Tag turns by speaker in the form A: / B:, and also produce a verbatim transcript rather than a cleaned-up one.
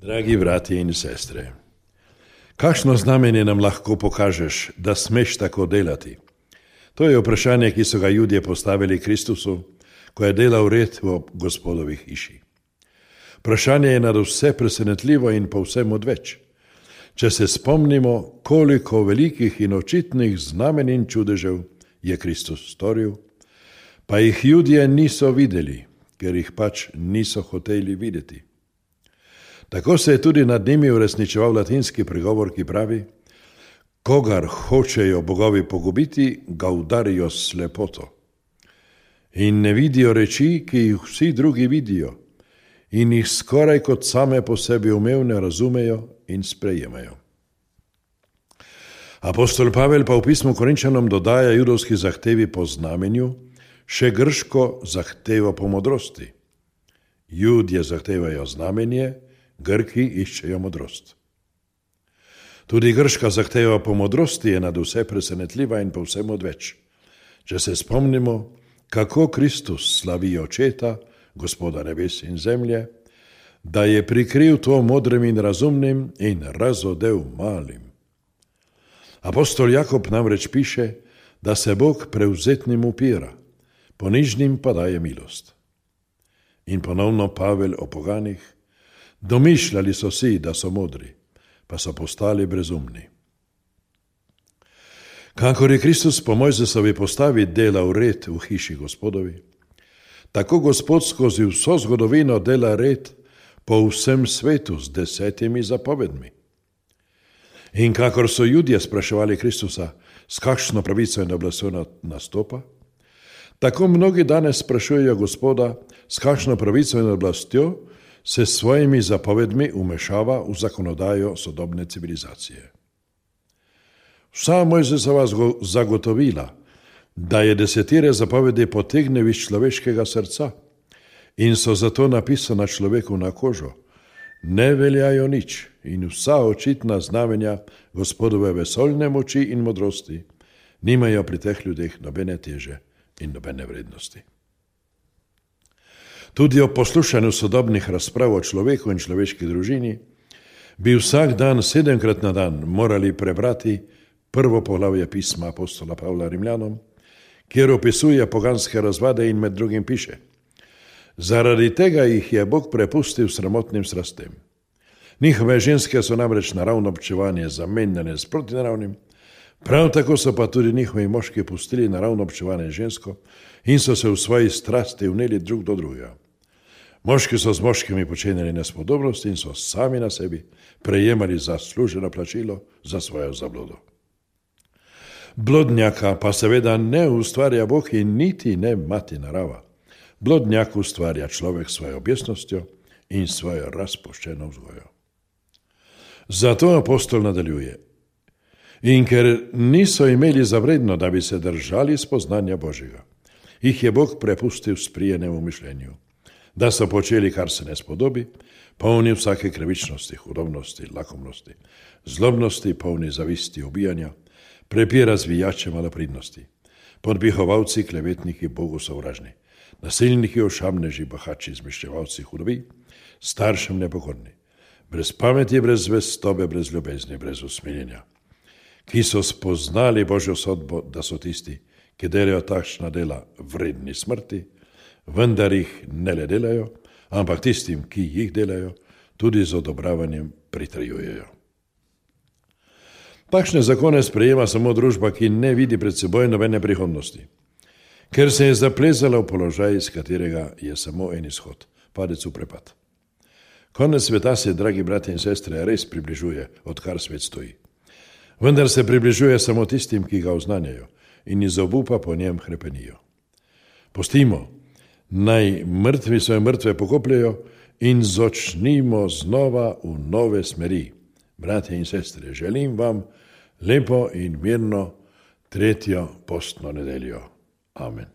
A: Dragi bratje in sestre, kakšno znamenje nam lahko pokažeš, da smeš tako delati? To je vprašanje, ki so ga Judje postavili Kristusu, ko je delal red v Gospodovi hiši. Vprašanje je nadvse presenetljivo in povsem odveč. Če se spomnimo, koliko velikih in očitnih znamenj in čudežev je Kristus storil, pa jih Judje niso videli, ker jih pač niso hoteli videti. Tako se je tudi nad njimi uresničeval latinski pregovor, ki pravi: kogar hočejo bogovi pogubiti, ga udarijo s slepoto. In ne vidijo reči, ki jih vsi drugi vidijo, in jih skoraj kot same po sebi umevne razumejo in sprejemajo. Apostol Pavel pa v pismu Korinčanom dodaja judovski zahtevi po znamenju še grško zahtevo po modrosti. Judje zahtevajo znamenje, Grki iščejo modrost. Tudi grška zahteva po modrosti je nadvse presenetljiva in povsem odveč. Če se spomnimo, kako Kristus slavi očeta, Gospoda nebes in zemlje, da je prikril to modrim in razumnim in razodel malim. Apostol Jakob namreč piše, da se Bog prevzetnim upira, ponižnim pa daje milost. In ponovno Pavel o poganih: domišljali so si, da so modri, pa so postali brezumni. Kakor je Kristus po Mojzesovi postavi delal red v hiši Gospodovi, tako Gospod skozi vso zgodovino dela red po vsem svetu z desetimi zapovedmi. In kakor so Judje spraševali Kristusa, s kakšno pravico in oblastjo nastopa, tako mnogi danes sprašujejo Gospoda, s kakšno pravico in oblastjo se s svojimi zapovedmi umešava v zakonodajo sodobne civilizacije. Vsa Mojzesova zagotovila, da je desetire zapovedi potegnil iz človeškega srca in so zato napisana človeku na kožo, ne veljajo nič in vsa očitna znamenja Gospodove vesoljne moči in modrosti nimajo pri teh ljudeh nobene teže in nobene vrednosti. Tudi o poslušanju sodobnih razprav o človeku in človeški družini bi vsak dan, sedemkrat na dan, morali prebrati prvo poglavje pisma apostola Pavla Rimljanom, kjer opisuje poganske razvade in med drugim piše: zaradi tega jih je Bog prepustil sramotnim strastem. Njihove ženske so namreč naravno občevanje zamenjane s protinaravnim, prav tako so pa tudi njihovi moški pustili naravno občevanje žensko in so se v svoji strasti vneli drug do drugega. Moški so z moškimi počenjali nespodobnosti in so sami na sebi prejemali zasluženo plačilo za svojo zablodo. Blodnjaka pa seveda ne ustvarja Bog in niti ne mati narava. Blodnjak ustvarja človek svojo objesnostjo in svojo razpuščeno vzgojo. Zato apostol nadaljuje: in ker niso imeli za vredno, da bi se držali spoznanja Božjega, jih je Bog prepustil sprijenemu mišljenju, da so počeli, kar se ne spodobi, polni vsake krivičnosti, hudobnosti, lakomnosti, zlobnosti, polni zavisti, ubijanja, prepira zvijače malopridnosti, podbihovalci, klevetniki, Bogu sovražni, nasilniki, ošamneži, bahači, zmeščevalci hudobi, staršem nepokorni, brez pameti, brez zvestobe, brez ljubezni, brez usmiljenja, ki so spoznali Božjo sodbo, da so tisti, ki delajo takšna dela, vredni smrti, vendar jih ne le delajo, ampak tistim, ki jih delajo, tudi z odobravanjem pritrjujejo. Takšne zakone sprejema samo družba, ki ne vidi pred seboj nobene prihodnosti, ker se je zaplezala v položaj, iz katerega je samo en izhod, padec v prepad. Konec sveta se, dragi bratje in sestre, res približuje, odkar svet stoji. Vendar se približuje samo tistim, ki ga oznanjajo in iz obupa po njem hrepenijo. Pustimo, naj mrtvi svoje mrtve pokopljajo in začnimo znova v nove smeri. Bratje in sestre, želim vam lepo in mirno tretjo postno nedeljo. Amen.